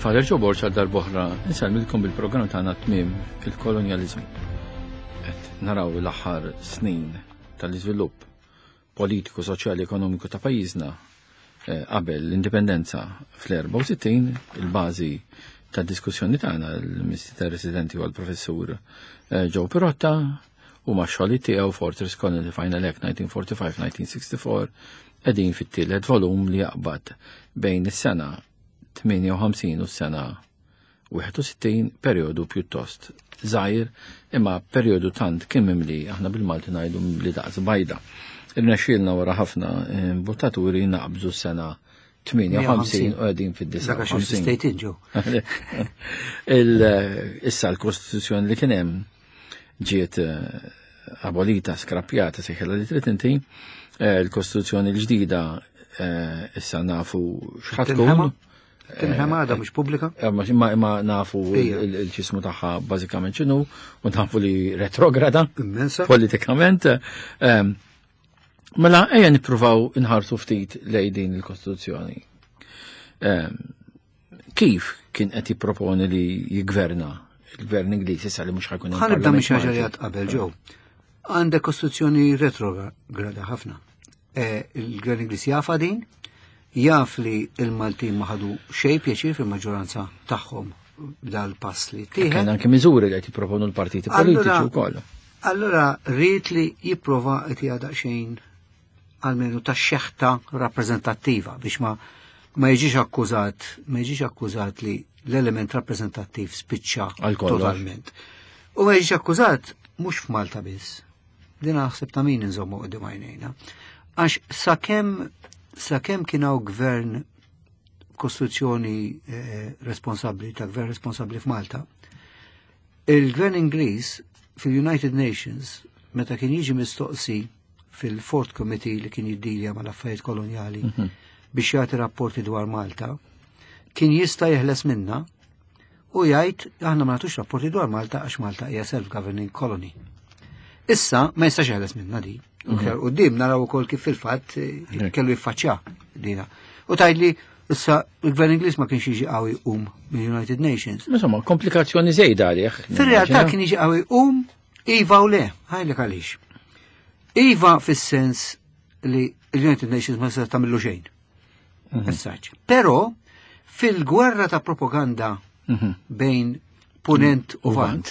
Father Joe Borg għal darb'oħra insellmilkom bil-programm tagħna tmiem il-kolonjaliżmu. Qed naraw l-aħħar snin tal-iżvilupp politiku, soċjali, ekonomiku ta' pajjiżna eh, qabel l-indipendenza fl-64, il-bażi ta' diskussjoni tagħna l-Ministri Residenti u l-Professur eh, Joe Pirotta u ma' xogħli tiegħu Fortress Colony Final Act 1945-1964 qegħdin fit-tielet volum li jaqbad bejn is-sena 58 u s-sena 61 perjodu pjuttost żgħir imma perjodu tant kien mimli aħna bil-Malti ngħidu mimli daqs bajda. Irnexxielna wara ħafna eh, buttaturi naqbżu s-sena 58 u għedin fid-59. Issa l-Kostituzzjoni li kien hemm ġiet eh, abolita, skrappjata, sejħela li trid inti, eh, l-Kostituzzjoni l-ġdida issa nafu x'ħatkun. Tinħema għadha mhux pubblika? Eh, ma nafu il-ġismu tagħha bażikament x'inhu u nafu li retrograda. Immensa. Politikament. Ehm, mela ejja nippruvaw inħarsu ftit lej din il-Kostituzzjoni. Ehm, kif kien qed jipproponi li jigverna il-gvern Ingliż issa li mhux ħajkun hemm. Ħanibda minn xi ħaġa li qabel ġew. Għandek Kostituzzjoni retrograda ħafna. Eh, il-Gvern Ingliż jafa din, jaf li il-Maltin ma ħadu xejn pjaċir fil-maġġoranza tagħhom dal-pass li tieħed. Kien anke miżuri li qed jipproponu l-partiti politiċi wkoll. Allura rrid li jipprova qed jgħadaq xejn almenu ta' xeħta rappreżentattiva biex ma ma jiġix akkużat, ma jiġix akkużat li l-element rappreżentattiv spiċċa totalment. U ma jiġix akkużat mhux f'Malta biss, Din naħseb ta' min inżommu qudiem għajnejna. Għax sakemm sakemm kien hawn gvern kostruzzjoni eh, responsabbli ta' gvern responsabbli f'Malta, il-gvern Ingliż fil-United Nations meta kien jiġi mistoqsi fil-Fourth Committee li kien jiddilja mal-affarijiet kolonjali mm -hmm. biex jagħti rapporti dwar Malta, kien jista' jeħles minna u jgħid aħna ma nagħtux rapporti dwar Malta għax Malta hija self-governing colony. Issa ma jistax jeħles minna di. Mhm. U dim naraw ukoll kif fil-fatt eh, kellu jiffaċċja dina. U tgħidli issa il-gvern Ingliż ma kienx jiġi qawwi um mill-United Nations. Insomma, komplikazzjoni żejda għalih. Fir-realtà kien jiġi qawwi um iva u le, ħajlek għaliex. Iva fis-sens li l-United Nations ma se tagħmillu xejn. Mhm. Messaġġ. Però fil-gwerra ta' propaganda mhm. bejn Punent u Vant,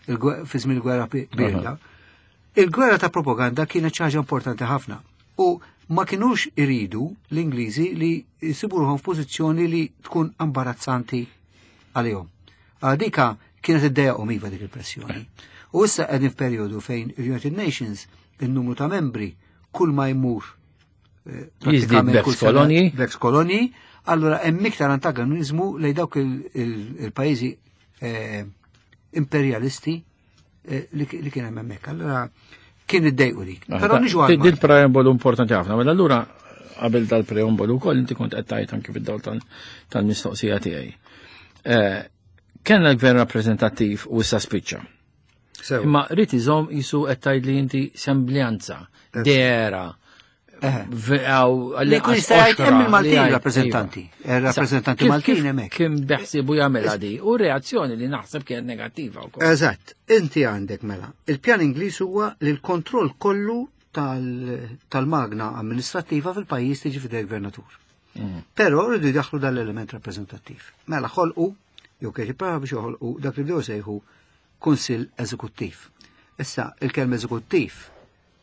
fi żmien il-gwerra birda, il-gwerra ta' propaganda kienet xi ħaġa importanti ħafna. U ma kinux iridu l-Ingliżi li jsiburuhom f'pożizzjoni li tkun imbarazzanti għalihom. Dika kienet iddejjaqhom iva dik il-pressjoni. U issa qegħdin f'perjodu fejn il-United Nations il-numru ta' membri kull ma jmur eh, Jiżdied b'ex kolonji. B'ex kolonji, allura hemm iktar antagonizmu lej dawk il-pajjiżi eh, imperialisti eh, li kien hemm hemmhekk. Allura kien iddejqu dik. Ah, Però niġu għal. Din preambolu importanti ħafna, mela allura qabel dal-preambolu wkoll inti kont qed tgħid anke fid-dawl tal-mistoqsija tiegħi. Kellna l-gvern rappreżentattiv u issa spiċċa. Imma rrid iżomm jisu qed tgħid li inti sembljanza, dera. Li kun jista' jgħid hemm il-Maltin rappreżentanti. Eh, rappreżentanti Maltin hemmhekk. Kien beħsiebu jagħmel di u reazzjoni li naħseb kienet negattiva wkoll. Eżatt, inti għandek mela. Il-pjan Ingliż huwa li l-kontroll kollu tal-magna amministrattiva fil-pajjiż tiġi fidej gvernatur. Mm. Però rridu jdaħħlu dal-element rappreżentattiv. Mela ħolqu, jew kiex jipprova biex joħolqu dak li bdew sejħu Kunsill Eżekuttiv. Issa, il-kelma eżekuttiv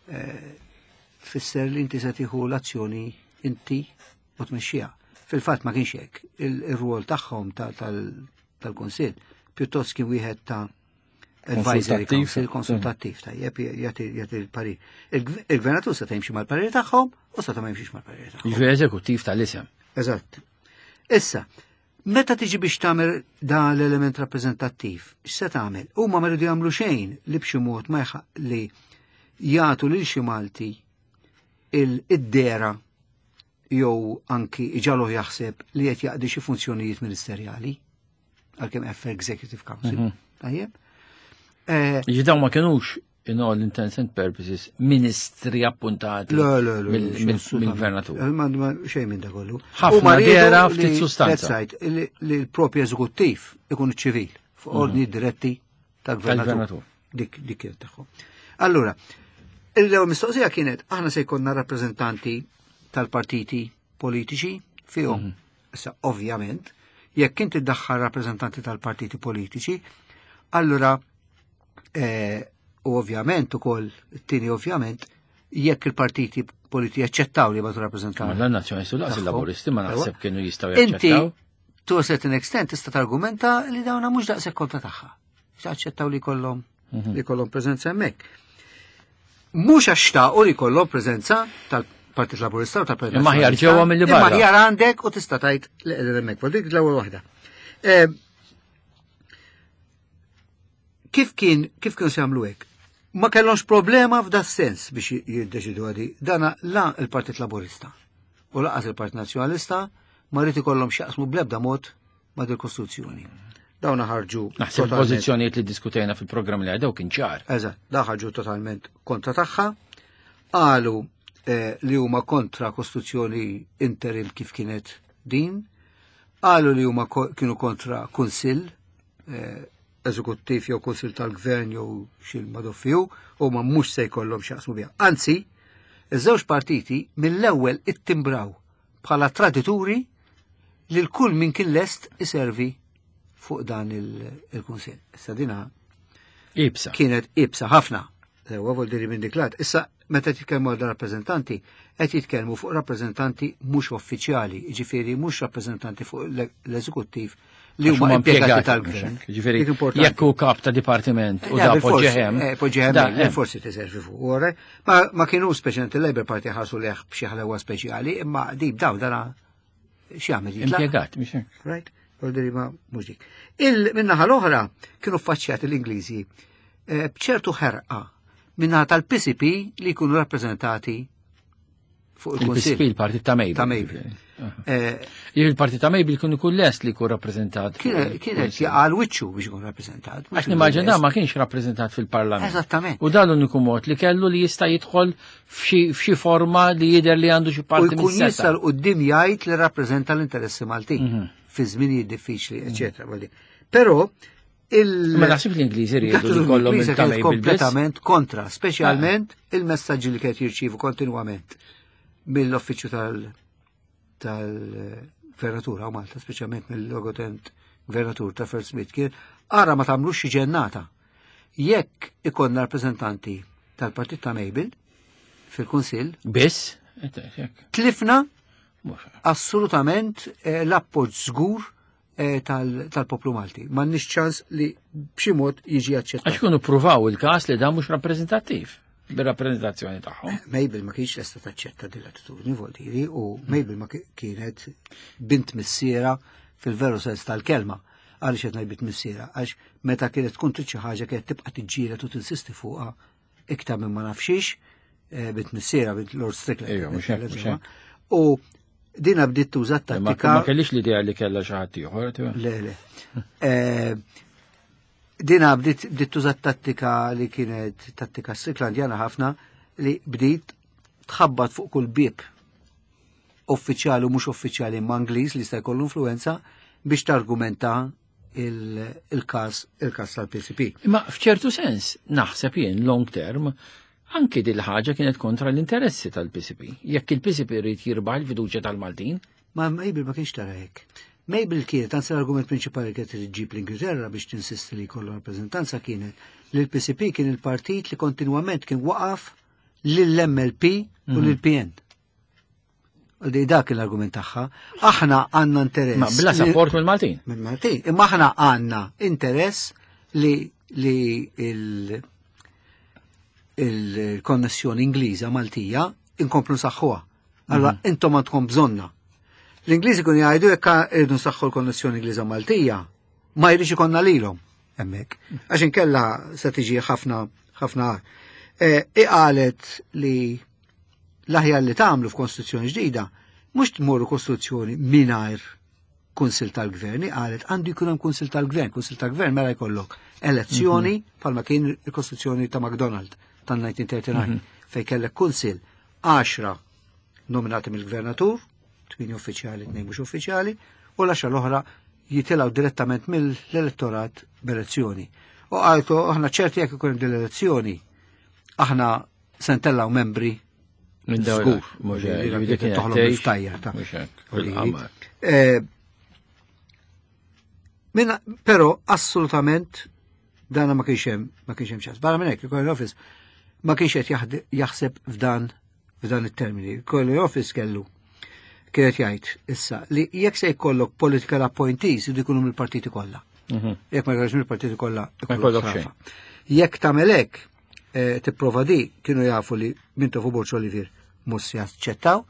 eh, tfisser li inti se tieħu l-azzjoni inti u tmexxiha. Fil-fatt ma kienx hekk. Il-rwol tagħhom tal-Kunsill pjuttost kien wieħed ta' advisory council konsultattiv tajjeb jagħti l-parir. Il-gvernatur seta' jimxi mal-parir tagħhom u seta' ma jimxix mal-parir tagħhom. Jiġifieri eżekuttiv tal-isem. Eżatt. Issa, Meta tiġi biex tagħmel dan l-element rappreżentattiv, x'se tagħmel? Huma ma rridu jagħmlu xejn li b'xi mod ma li jagħtu lil xi Malti id-dera jew anki iġaluh jaħseb li qed jaqdi xi funzjonijiet ministerjali għalkemm F Executive Council. Mhm. Tajjeb. Eh, Ġi dawn ma kinux in all intents and purposes ministri appuntati mill-gvernatur. Eh, xejn minn da kollu. Ħafna dera ftit sustanza. Li l-propju eżekuttiv ikun ċivil fuq ordni mhm. diretti tal-gvernatur. Dik dik kienet tagħhom. Allura, il-ewwel mistoqsija kienet aħna se jkollna rappreżentanti tal-partiti politiċi fihom. Mhm. Issa ovvjament, jekk inti ddaħħal rappreżentanti tal-partiti politiċi, allura eh, u ovvjament ukoll it-tieni ovvjament jekk il-partiti politiċi jaċċettaw li batu rappreżentanti. Ma l-nazzjonisti laqas il-laburisti ma naħseb kienu jistgħu jaċċettaw. Inti to a certain extent tista' targumenta li dawna mhux daqshekk kontra tagħha. Aċċettaw li kollhom mhm. li kollhom preżenza hemmhekk. Mhux għax xtaqu li kollhom preżenza tal-Partit Laburista u tal-Partit Imma ħjar ġewwa milli barra. Imma ħjar għandek u tista' tgħid li qegħdin hemmhekk. Dik l-ewwel waħda. Eh, kif kien kif kienu se jagħmlu hekk? Ma kellhomx problema f'da sens biex jiddeċidu għadi. Dana la il-Partit Laburista u laqas il-Partit Nazzjonalista ma rrid ikollhom x'jaqsmu bl-ebda mod ma' dil-Kostituzzjoni. Dawn ħarġu. Naħseb pożizzjonijiet li diskutejna fil-programm li għadew kien ċar. Eżatt, da ħarġu totalment kontra tagħha. Qalu eh, li huma kontra Kostituzzjoni interim kif kienet din. Qalu li huma kienu kontra Kunsill eh, eżekuttiv jew kunsill tal-gvern jew xi madoffiju huma mhux se jkollhom x'jaqsmu biha. Anzi, iż-żewġ partiti mill-ewwel ittimbraw bħala tradituri lil kull min kien lest iservi fuq dan il-kunsill. Issa dina Ibsa. Kienet ibsa ħafna. Ewa vol diri minn diklat. Issa meta titkellmu għal rappreżentanti, qed jitkellmu fuq rappreżentanti mhux uffiċjali, jiġifieri mhux rappreżentanti fuq l-eżekuttiv li huma impjegati tal-gvern. Ġifieri jekk hu kap ta' dipartiment u da poġġehem. Eh, poġġehem, eh, forsi tiservi fuq. Ma kienu speċjalment il-Labour Party ħarsu leħ b'xi ħlewa speċjali, imma dib daw dana x'jagħmel jitlaq. Impjegat, mhux hekk. Right? Voldiri ma mhux dik. Il-minnaħa l-oħra kienu ffaċċjati l-Ingliżi eh, b'ċertu ħerqa minnaħa tal-PCP li jkunu rappreżentati fuq il-Kunsill. Il-PCP, il-Partit ta' Mabel. Ta' Mabel. Eh, il-Partit ta' Mabel kien ikun lest li jkun rappreżentat. Kienet jaqal wiċċu biex ikun rappreżentat. Għax nimmaġina ma kienx rappreżentat fil-Parlament. Eżattament. U dan l-uniku mod li kellu li jista' jidħol f'xi forma li jidher li għandu xi parti U jkun jista' l qudiem jgħid li rappreżenta l-interessi Maltin mhm. fi żminijiet diffiċli, mhm. eċetera. Però il Ma naħsib l-Ingliżi riedu li kollhom il kompletament kontra, speċjalment ah. il-messaġġi li kienet jirċievu kontinwament mill-uffiċċju tal tal-gvernatur u Malta, speċjalment mill-logotent gvernatur ta' First Smith kien ara ma tagħmlux xi ġennata. Jekk ikollna rappreżentanti tal-partit ta' Mabel fil-Kunsill. Biss? Tlifna assolutament eh, l-appoġġ żgur eh, tal-poplu Malti. M'għandniex ċans li b'xi mod jiġi aċċettat. Għax kienu pruvaw il-każ li dan mhux rappreżentattiv bir-rappreżentazzjoni tagħhom. Eh, Mabel ma kienx lesta taċċetta din l-attitudni vuol diri u Mabel ma kienet bint missiera fil-veru sens tal-kelma. Għaliex qed ngħid bint missiera? Għax meta kienet tkun trid xi ħaġa kienet tibqa' tiġġieled u tinsisti fuqha iktar minn ma nafxiex, eh, bint missiera bint Lord Strickland. U dina bdiet tuża tattika. Ma kellix l-idea li kellha xi ħadd ieħor. Le, le. Eh, dina bdiet tuża tattika li kienet tattika Stricklandjana ħafna li bdiet tħabbat fuq kull bib uffiċjali u mhux uffiċjali imma Ingliż li jista' jkollu influenza biex targumenta il-każ il-każ tal-PCP. Imma f'ċertu sens naħseb jien long term anki dil ħaġa kienet kontra l-interessi tal-PCP. Jekk il-PCP rrid jirbaħ il-fiduċja tal-Maltin. Ma Mabel ma kienx tara hekk. Mabel kienet, anzi l-argument prinċipali kienet ġib l-Ingilterra biex tinsisti li jkollu rappreżentanza kienet li l-PCP kien il-partit li kontinwament kien waqaf lill-MLP u mhm. lill-PN. Għaldi dak l-argument tagħha. Aħna għandna interess. Ma bla support mill-Maltin. Mill-Maltin. Imma aħna għandna interess li li il il-konnessjoni Ingliża Maltija inkomplu nsaħħuha. Allora mhm. intom għandkom bżonna. L-Ingliżi kun jgħidu jekk irridu nsaħħu l-konnessjoni Ingliża Maltija, ma jridx ikonna lilhom hemmhekk. Għax inkella se tiġi ħafna ħafna. E, Iqalet li l-aħjar li tagħmlu f'Kostituzzjoni ġdida mhux tmorru Kostituzzjoni mingħajr Kunsil tal-Gvern, qalet għandu jkun hemm Kunsil tal-Gvern, Kunsil tal-Gvern mela jkollok elezzjoni mhm. bħalma kien il-Kostituzzjoni ta' McDonald tan-1939 mhm. fejn kellek kunsil 10 nominati mill-gvernatur, 8 uffiċjali, 2 mhux uffiċjali, u l-10 l-oħra jitilgħu direttament mill-elettorat b'elezzjoni. U qaltu aħna ċerti jekk ikun hemm din l-elezzjoni, aħna se ntellgħu membri Minn żgur. Toħlom bil-ftajjar ta' eh, Minna, pero assolutament dana ma kienx hemm ma kienx hemm ċans. Barra minn hekk il-Colonial Office ma kienx qed jaħseb f'dan f'dan it-termini. Il-Colonial Office kellu kienet jgħid issa li jekk se jkollok political appointees idu jkunu mill-partiti kollha. Mhm. Jekk ma jkollokx mill-partiti kollha, ikollok xejn. Jekk tagħmel hekk, eh, tipprova di kienu jafu li Mintoff u Borg Olivier mhux se jaċċettaw,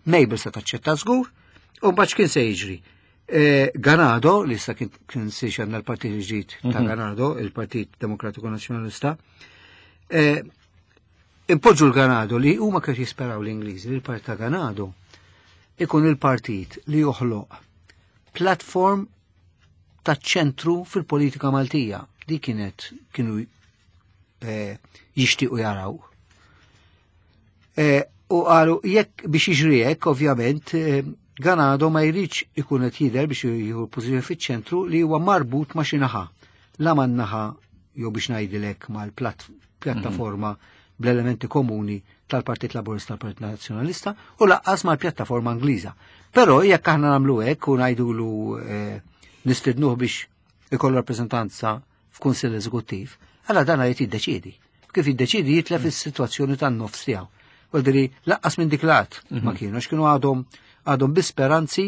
Mabel se taċċetta żgur, u mbagħad x'kien se jiġri. Eh, Ganado, li issa kien kien siex għandna l-partit il-ġdid ta' mhm. Ganado, il-Partit Demokratiku Nazzjonalista, eh, impoġġu l-Ganado li huma kienu jisperaw l-Ingliżi li l-Partit ta' Ganado ikun il-partit li joħloq platform ta' ċentru fil-politika Maltija. Di kienet kienu eh, jixtiequ jaraw. Eh, u qalu jekk biex jiġri hekk, ovvjament, eh, Ganado ma jridx ikun qed jidher biex jieħu pożizzjoni fiċ-ċentru li huwa marbut ma' xi naħa. La man-naħa jew biex ngħidilek mal-pjattaforma mhm. bl-elementi komuni tal-Partit Laburista tal-Partit Nazzjonalista u laqqas mal-pjattaforma Ingliża. Però jekk aħna nagħmlu hekk u ngħidulu eh, nistidnuh biex ikollu rappreżentanza f'Kunsill Eżekuttiv, għala dan jrid jiddeċiedi. Kif jiddeċiedi jitlef mm. is-sitwazzjoni tan-nofs tiegħu. Vuol laqqas minn dik lat ma mhm. kienu, għax kienu għadhom għadhom bi speranzi,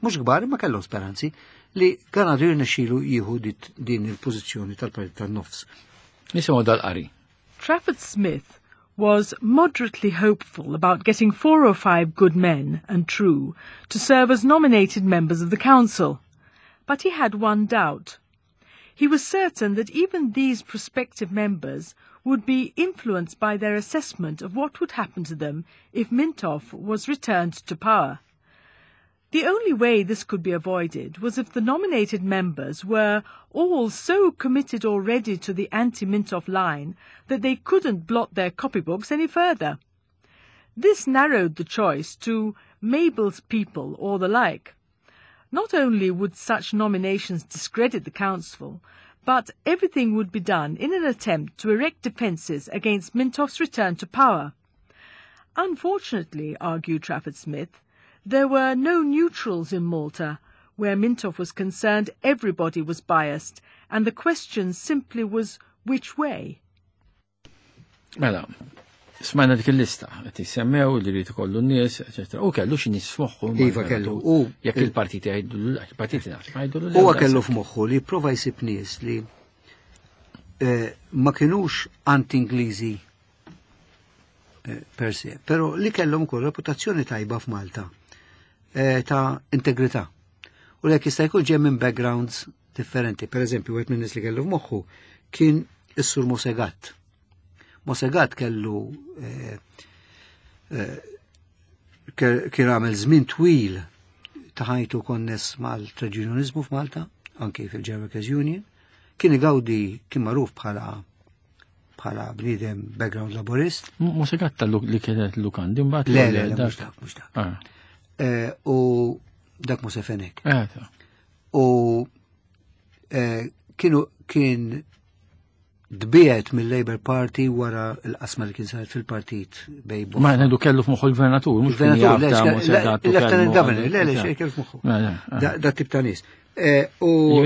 mhux kbar ma kellhom speranzi, li kan għadu jirnexxilu jieħu din il-pożizzjoni tal-partit tan-nofs. Nisimgħu dal-qari. Trafford Smith was moderately hopeful about getting four or five good men and true to serve as nominated members of the council. But he had one doubt. He was certain that even these prospective members would be influenced by their assessment of what would happen to them if Mintoff was returned to power. The only way this could be avoided was if the nominated members were all so committed already to the anti-Mintoff line that they couldn't blot their copybooks any further. This narrowed the choice to Mabel's people or the like. Not only would such nominations discredit the council, but everything would be done in an attempt to erect defences against Mintoff's return to power. Unfortunately, argued Trafford Smith, there were no neutrals in Malta. Where Mintoff was concerned, everybody was biased, and the question simply was which way. Mela, smajna dik il-lista, qed jissemmew li rrid ikollu n-nies, eċetera. U kellu xi nies f'moħħu. Iva kellu. U jekk il-partiti jgħidu il-partiti naf, ma jgħidu Huwa kellu f'moħħu li prova jsib nies li eh, ma kinux anti-Ingliżi eh, per se, pero li kellhom ukoll reputazzjoni tajba f'Malta eh, ta' integrità. U li jista' jkun ġej minn backgrounds differenti. Per eżempju, wieħed minn nies li kellu f'moħħu kien is-sur Mosegat. Mosegat kellu eh, kien għamel żmien twil ta' ħajtu konness mal-traġunjonizmu f'Malta, anki fil-German Union, kien igawdi kien magħruf bħala bħala bniedem background laborist. Musa gatta li kienet lukandi mbagħad. Le, le, le, mhux dak, mhux dak. Ah. Eh, u dak Musa Fenek. Eh, u eh, kienu kien dbiet mill-Labour Party wara l-qasma li kien saret fil-partit bej Ma ngħidu kellu f'moħħu l-gvernatur, mhux gvernatur, l-Lieutenant Governor, le, le, xejn kellu f'moħħu. Ah. Da tip ta' nies. U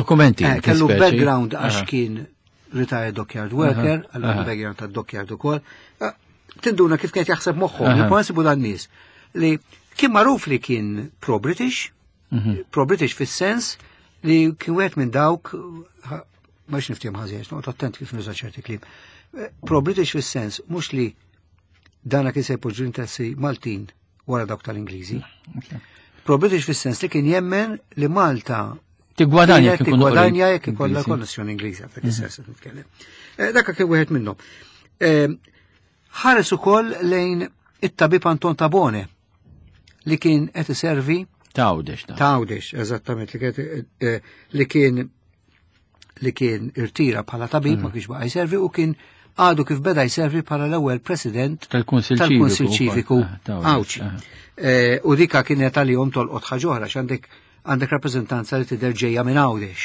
dokumenti. Kellu background għax kien retired dockyard worker, għallu background ta' dockyard ukoll. Ah, tinduna kif kienet jaħseb moħħu, li sibu dan nies li kien magħruf li kien pro-British, mhm. pro-British fis-sens li kien wieħed minn dawk ma niftiem ħażin, noqgħod attent kif nuża ċerti kliem. Eh, pro-British fis-sens mhux li dana kien se jpoġġu interessi Maltin wara dawk tal-Ingliżi. Pro-British fis-sens li kien jemmen li Malta Tigwadanja jekk tigwadanja jekk ikollha konnessjoni Ingliża f'dak is-sens qed nitkellem. Eh, dak kien wieħed minnhom. Eh, ħares ukoll lejn it-tabib Anton Tabone li kien qed iservi Tawdex Ta' Għawdex, eżattament, li kien li kien irtira bħala tabib, ma kienx baqa' jservi u kien għadu kif beda jservi bħala l-ewwel president tal-Kunsill Ċiviku Għawdxi. U dika kienet għalihom tolqot ħaġa oħra x'għandek għandek rappreżentanza li tidher ġejja minn Għawdex,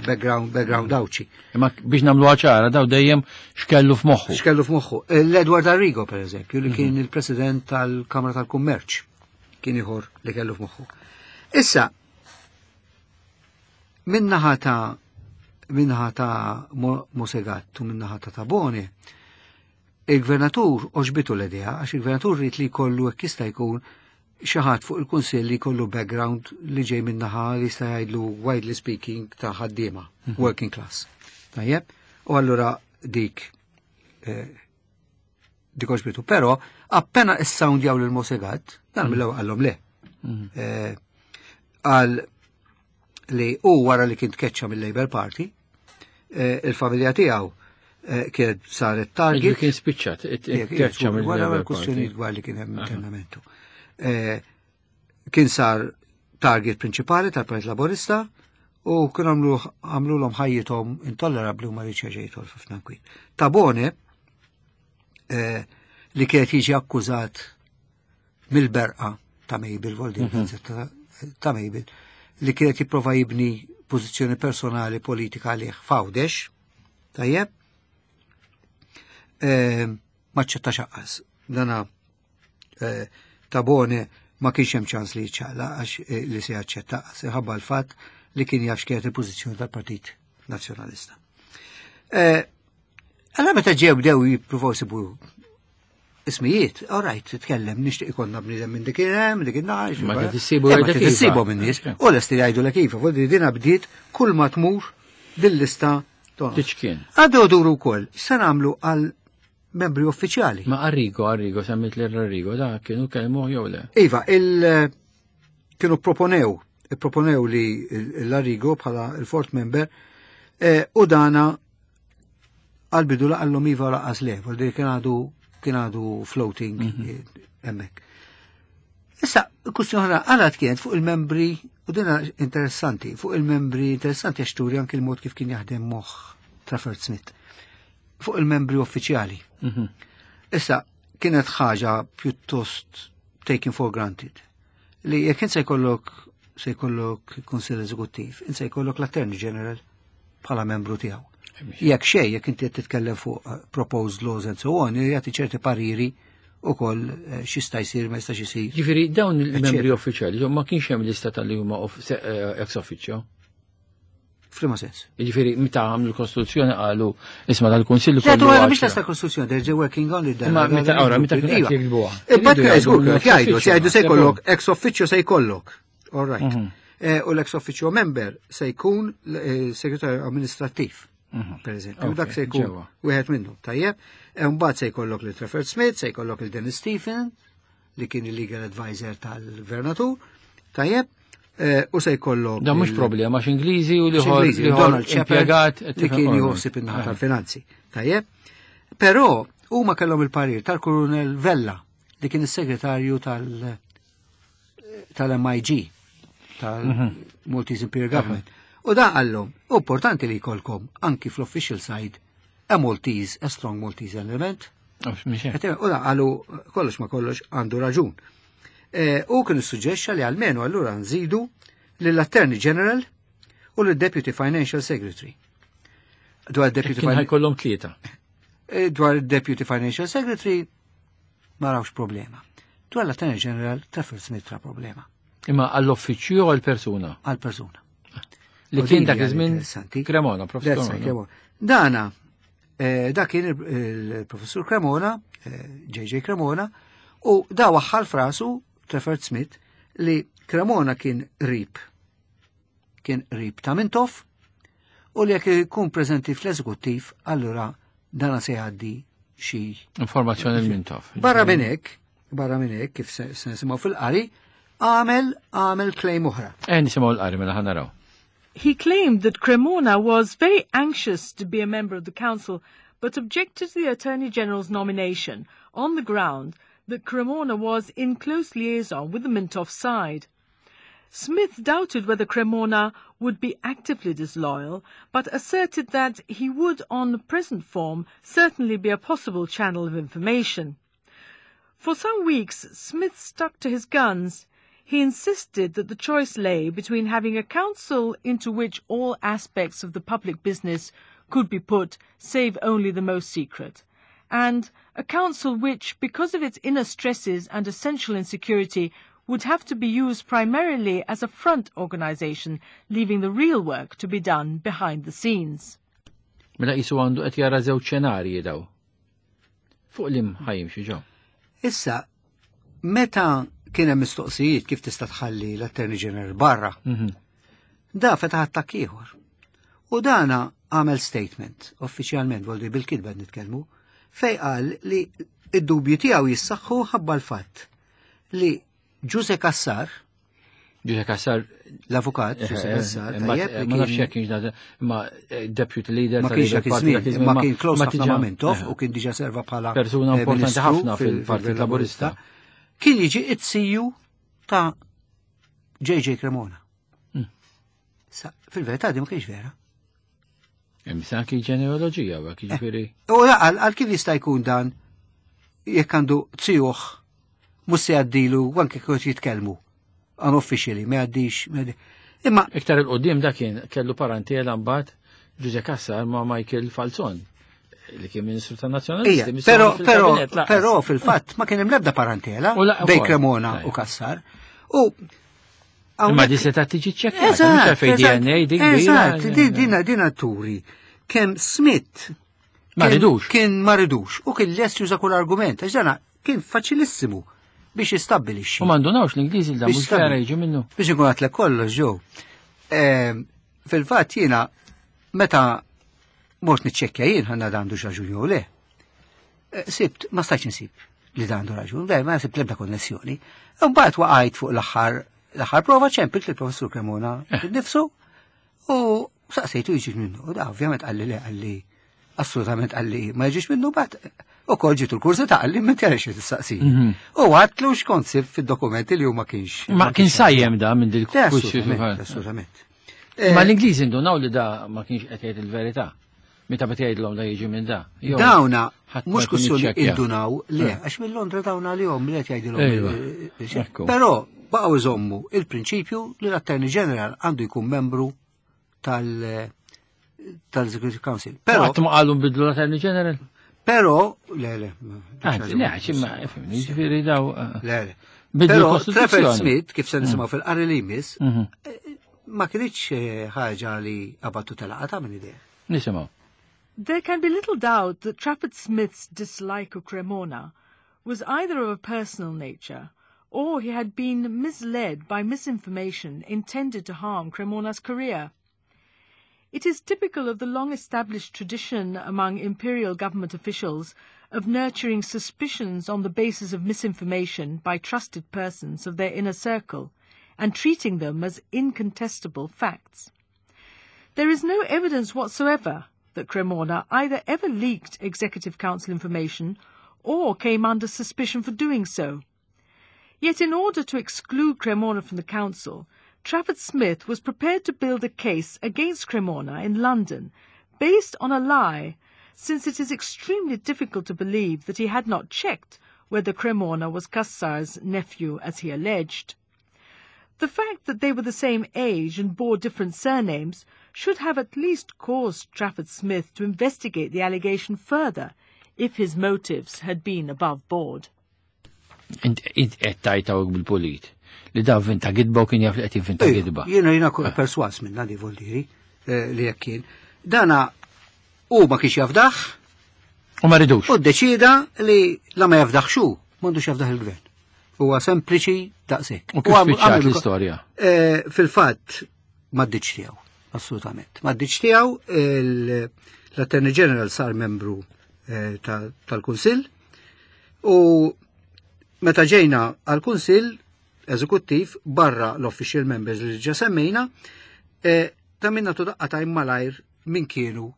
background Għawdxi. Imma biex nagħmlu ċara daw dejjem x'kellu f'moħħu. X'kellu f'moħħu. L-Edward Arrigo pereżempju li kien il-President tal-Kamra tal-Kummerċ kien ieħor li kellu f'moħħu. Issa, minnaħa ta' minnaħa ta' Mosegat u minnaħa ta' Tabone, il-gvernatur oġbitu l-idea, għax il-gvernatur rrit li jkollu hekk jista' jkun xi ħadd fuq il-kunsill li jkollu background li ġej minnaħa li jista' jgħidlu widely speaking ta' ħaddiema, working class. Tajjeb? U allura dik dik oġbitu. Però appena issoundjaw lil Mosegat, dan mill-ewwel qallhom le. Qal li u wara li kien tkeċċa mill-Labour Party, il-familja tiegħu kienet saret target. Kien spiċċat, tkeċċa mill-Labour Wara l-kwistjonijiet dwar li kien hemm internamentu. Kien sar target prinċipali tal-Partit Laburista u kien għamlu l ħajjithom intollerabbli u ma riedx jerġa' jidħol f'ħafna nkwiet. Tabone li kienet jiġi akkużat mill-berqa ta' Mabel, Voldi, ta' Mabel, li kienet jipprova jibni pożizzjoni personali politika għalih f'Għawdex, tajjeb, ma ċċetta xaqqas. Dana Tabone ma kienx hemm ċans li jiċċaqla għax li se jaċċetta ħabba l-fatt li kien jaf x'kienet il-pożizzjoni tal-Partit Nazzjonalista. Allora meta ġew bdew jippruvaw sibu ismijiet, all right, titkellem, nixtieq ikollna bniedem minn dik hemm, dik in-naħa, Ma tissibu Ma jgħidlek iva. tissibu minn nies, u lesti jgħidu lek iva, fuq dina bdiet kull ma tmur dil-lista tonqos. Tiċkien. Għaddew duru wkoll, se nagħmlu għal membri uffiċjali. Ma Arrigo, Arrigo, semmit l Arrigo, da kienu kellmu jew le? Iva, il kienu proponew li l-Arrigo bħala il-fourth member, u dana għal-bidu laqallhom iva laqas le, vol kien għadu kien għadu floating hemmhekk. Issa, kwistjoni oħra għalat kienet fuq il-membri, u dina interessanti, fuq il-membri interessanti għax turi anki il-mod kif kien jaħdem moħħ Trafford Smith, fuq il-membri uffiċjali. Issa, kienet ħaġa pjuttost taken for granted. Li jekk int se jkollok Kunsill Eżekuttiv, int se jkollok l-Attorney General bħala membru tiegħu. Jekk xejn, jekk inti qed titkellem fuq proposed laws and so on, jagħti ċerti pariri ukoll x'jista' jsir ma jistax isir. Ġifieri dawn il-membri uffiċjali, ma kienx hemm lista tal-li huma ex officio. F'liema sens? Ġifieri meta għamlu l-Kostituzzjoni qalu isma' tal-Kunsill Le, kollu tu għara għaxra. biex lesta Kostituzzjoni, they're working on it. Imma meta ora, meta kienu qed jiktbuha. Imbagħad Iridu jgħidu żgur ex kif jgħidu, officio, jgħidu se ma. jkollok ex officio se jkollok. All right. U l-ex officio member se jkun segretarju amministrattiv. Per eżempju, dak se jkun wieħed minnhom, tajjeb. Mbagħad se jkollok lil Trafford Smith, se jkollok il Dennis Stephen, li kien il-legal advisor tal-gvernatur, tajjeb. U se jkollok Da mhux problema għax Ingliżi u Għax Ingliżi, liħor Donald Shepherd, impjegat, li kien jħossib in-naħa tal-finanzi. Tajjeb. Però huma kellhom il-parir tal-Kurunel Vella li kien is-segretarju tal-MIG, tal-Maltese Imperial Government. U da qallhom, importanti li jkollkom anki fl-official side a Maltese, a strong Maltese element. Mhux hekk. U da qalu kollox ma kollox għandu raġun. U kien issuġġexxa li almenu allura nżidu lill-Attorney General u lill-Deputy Financial Secretary. Dwar Deputy Kien ħajkollhom tlieta. Dwar Deputy Financial Secretary ma rawx problema. Dwar l-Attorney General Trafford Smith ra problema. Imma għall-uffiċċju u għall-persuna? Għall-persuna. Li U kien din dak hija iż-żmien interessanti. Cremona, professur That's right, Cremona. Cremona. Dana, da kien il-professur Cremona, JJ Cremona, u da waħħal frasu Trafford Smith li Cremona kien rib. Kien rib ta' Mintoff u li jekk ikun preżenti fl-eżekuttiv, allura dana se jgħaddi xi informazzjoni l Mintoff. Barra minn hekk, barra minn hekk, kif se nisimgħu fil-qari, għamel claim oħra. Nisimgħu l-qari mela ħa naraw. He claimed that Cremona was very anxious to be a member of the council, but objected to the Attorney General's nomination on the ground that Cremona was in close liaison with the Mintoff side. Smith doubted whether Cremona would be actively disloyal, but asserted that he would, on present form, certainly be a possible channel of information. For some weeks, Smith stuck to his guns. He insisted that the choice lay between having a council into which all aspects of the public business could be put, save only the most secret, and a council which, because of its inner stresses and essential insecurity, would have to be used primarily as a front organization, leaving the real work to be done behind the scenes. Mela qisu għandu qed jara żewġ xenarji daw. Fuq li ħajimxi ġo. Issa, meta kien hemm mistoqsijiet kif tista' tħalli l-Attorney General barra, da fetaħ attakk ieħor. U dana għamel statement, uffiċjalment, voldi bil-kitba nitkellmu, fej qal li id-dubji tiegħu jissaħħu ħabba l-fatt li Ġuse Cassar, Ġuse Cassar, l-avukat Ġuse Cassar, tajjeb, ma nafx jekk kienx da, ma deputy leader ma kienx dak iż-żmien, ma kien close ħafna ma' Mintoff u kien diġà serva bħala persuna importanti ministru ħafna fil-Partit Laburista. Kien jiġi it-siju ta' JJ Cremona. Sa, fil-verità di ma kienx vera. Imma anki ġenealoġija, u hekk jiġifieri. U għal kif jista' jkun dan jekk għandu zijuh mhux se jgħaddilu anke kif jitkellmu unofficially, ma jgħaddix. Imma Iktar il-qudiem da kien kellu parentela mbagħad Ġuże Cassar ma' Michael Falzon li kien Ministru tan-Nazzjonalisti. Ija, però, però, però fil-fatt ma kien hemm l-ebda parentela bejn Cremona u Cassar. U Imma di seta' tiġi ċċekkjata, mhux fejn DNA dik Eżatt, dina dina turi kemm Smith ma ridux. Kien ma ridux u kien lest juża kull argument, għax dana kien faċilissimu biex jistabbilixxi. U ma ndunawx l-Ingliżi da mhux vera jiġi minnu. Biex ikun għatlek kollox ġew. Fil-fatt jiena meta mort niċċekkja jien ħanna għandu raġun jew le. Sibt, ma stajtx insib li dan għandu raġun, le, ma sibt l-ebda konnessjoni. Mbagħad waqajt fuq l-aħħar l-aħħar prova ċempilt lill-professur Cremona nifsu u saqsejtu jiġi minnu. U da ovvjament qalli le qalli assolutament qalli ma jiġix minnu bat u kol ġitu l-kursi ta' qalli ma tjarix tistaqsi. U għatlu xkont sib fid-dokumenti li hu ma kienx. Ma kien sajjem da minn dil kursi. Assolutament. Ma l-Ingliżi ndunaw li da ma kienx qed jgħid il-verità. Meta bad jgħidlhom da jiġi minn da. Dawna mhux kwistjoni indunaw le, għax minn Londra dawna li hom li qed jgħidilhom. Però baqgħu iżommu il-prinċipju li l-Attorney General għandu jkun membru tal-Executive Council. Però qatt ma qalu nbidlu l-Attorney General. Però le le. Anzi, le, imma ifhimni, jiġifieri daw. Le le. Però Trafford Smith, kif se nisimgħu fil-qari li jmiss, ma kienx ħaġa li qabattu telaqata minn idea. Nisimgħu. There can be little doubt that Trafford Smith's dislike of Cremona was either of a personal nature or he had been misled by misinformation intended to harm Cremona's career. It is typical of the long-established tradition among imperial government officials of nurturing suspicions on the basis of misinformation by trusted persons of their inner circle and treating them as incontestable facts. There is no evidence whatsoever that Cremona either ever leaked Executive Council information or came under suspicion for doing so. Yet in order to exclude Cremona from the council, Trafford Smith was prepared to build a case against Cremona in London based on a lie, since it is extremely difficult to believe that he had not checked whether Cremona was Cassar's nephew as he alleged. The fact that they were the same age and bore different surnames should have at least caused Trafford Smith to investigate the allegation further if his motives had been above board. Int qed tajta bil-pulit li da vinta gidba u kien jaf li qed jinvinta gidba. Jiena jiena perswas minna li voldiri li jekk kien. Dana u ma kienx jafdaħ. U ma ridux. U ddeċida li la ma jafdaħ xu, m'għandux jafdaħ il-gvern. Huwa sempliċi daqshekk. U kif spiċċat l-istorja? Fil-fatt ma ddiċ tiegħu, assolutament. Ma ddiċ tiegħu l-Attorney General sar membru tal-Kunsill u meta ġejna għal-Kunsill Eżekuttiv barra l-official members li ġa semmejna, ta' minna tu daqqa ta' malajr min kienu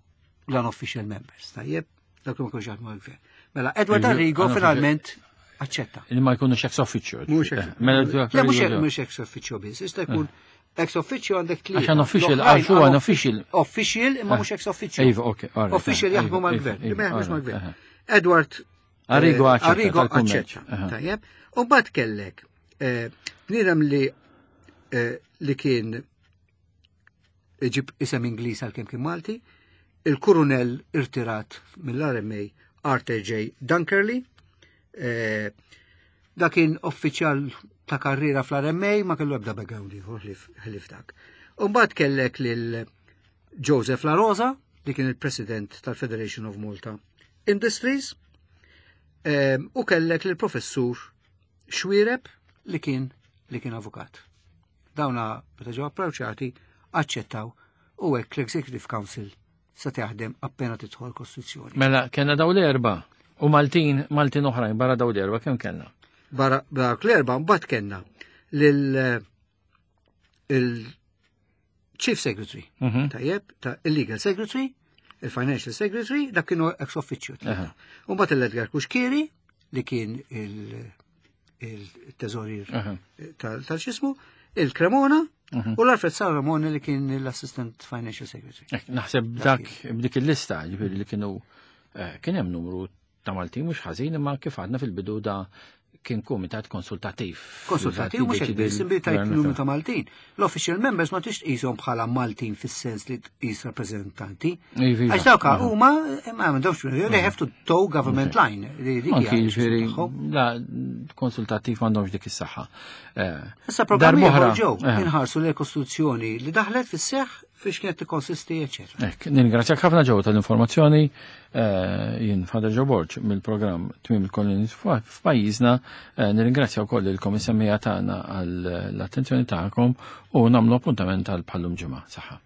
l-unofficial members. Tajjeb, dak ma kienx jaħdmu għal-gvern. Mela, Edward Arrigo finalment. Aċċetta. Li ma jkunux ex officio. Mhux ex eh, mela Le mhux ex officio biss, jista' jkun eh. ex officio għandek tlieta. Għax official, għax huwa official. Official imma mhux ex officio. Iva, ok. Official jaħdmu iva, mal-gvern, iva, ma jaħdmux mal-gvern. Edward Arrigo eh, aċċetta. Arrigo aċċetta. Tajjeb. U mbagħad kellek bniedem li li kien iġib isem Ingliż għalkemm kien Malti, il-kurunell irtirat mill-RMA Arthur J. Dunkerley, eh, da kien uffiċjal ta' karriera fl-RMA ma kellu ebda background ieħor ħlief dak. U mbagħad kellek lil Joseph La Rosa, li kien il-President tal-Federation of Malta Industries, eh, u kellek lil professur Xwireb li kien li kien avukat. Dawna meta ġew approċċati aċċettaw u hekk l-Executive Council se taħdem appena tidħol Kostituzzjoni. Mela kellna daw l-erba' u Maltin, Maltin oħrajn barra daw l-erba' kemm kellna? Barra dawk l-erba' mbagħad kellna lil il-Chief Secretary, tajjeb, ta' il-Legal Secretary, il-Financial Secretary, dak kienu ex officio. U mbagħad l-Edgar Cuschieri li kien il-teżorier tal-xismu, il-Cremona u l-Alfred Salomone li kien l-Assistant Financial Secretary. Naħseb dak b'dik il-lista, ġifieri li kienu eh, kien hemm numru ta' Maltin mhux ħażin imma kif għadna fil-bidu da kien kumitat konsultattiv. Konsultattiv mhux hekk biss, imbi tajt numru ta' Maltin. L-official members ma tix tqishom bħala Maltin fis-sens li tqis rappreżentanti. Iva, Għax dawk huma ma għandhomx they have to toe government line. Anki jiġifieri la konsultattiv m'għandhomx dik is-saħħa. Eh, Issa programmi ġew inħarsu l-Kostituzzjoni li daħlet fis-seħħ fiex kienet tikkonsisti, eċetera. Ek, ningrazzjak ħafna ġew tal-informazzjoni eh, jien Father Joe Borg mill-programm Tmiem il-Koloni f'pajjiżna, eh, nirringrazzja wkoll il-komissemmija tagħna għall-attenzjoni tagħkom u nagħmlu appuntament għal bħallum ġimgħa. Saħħa.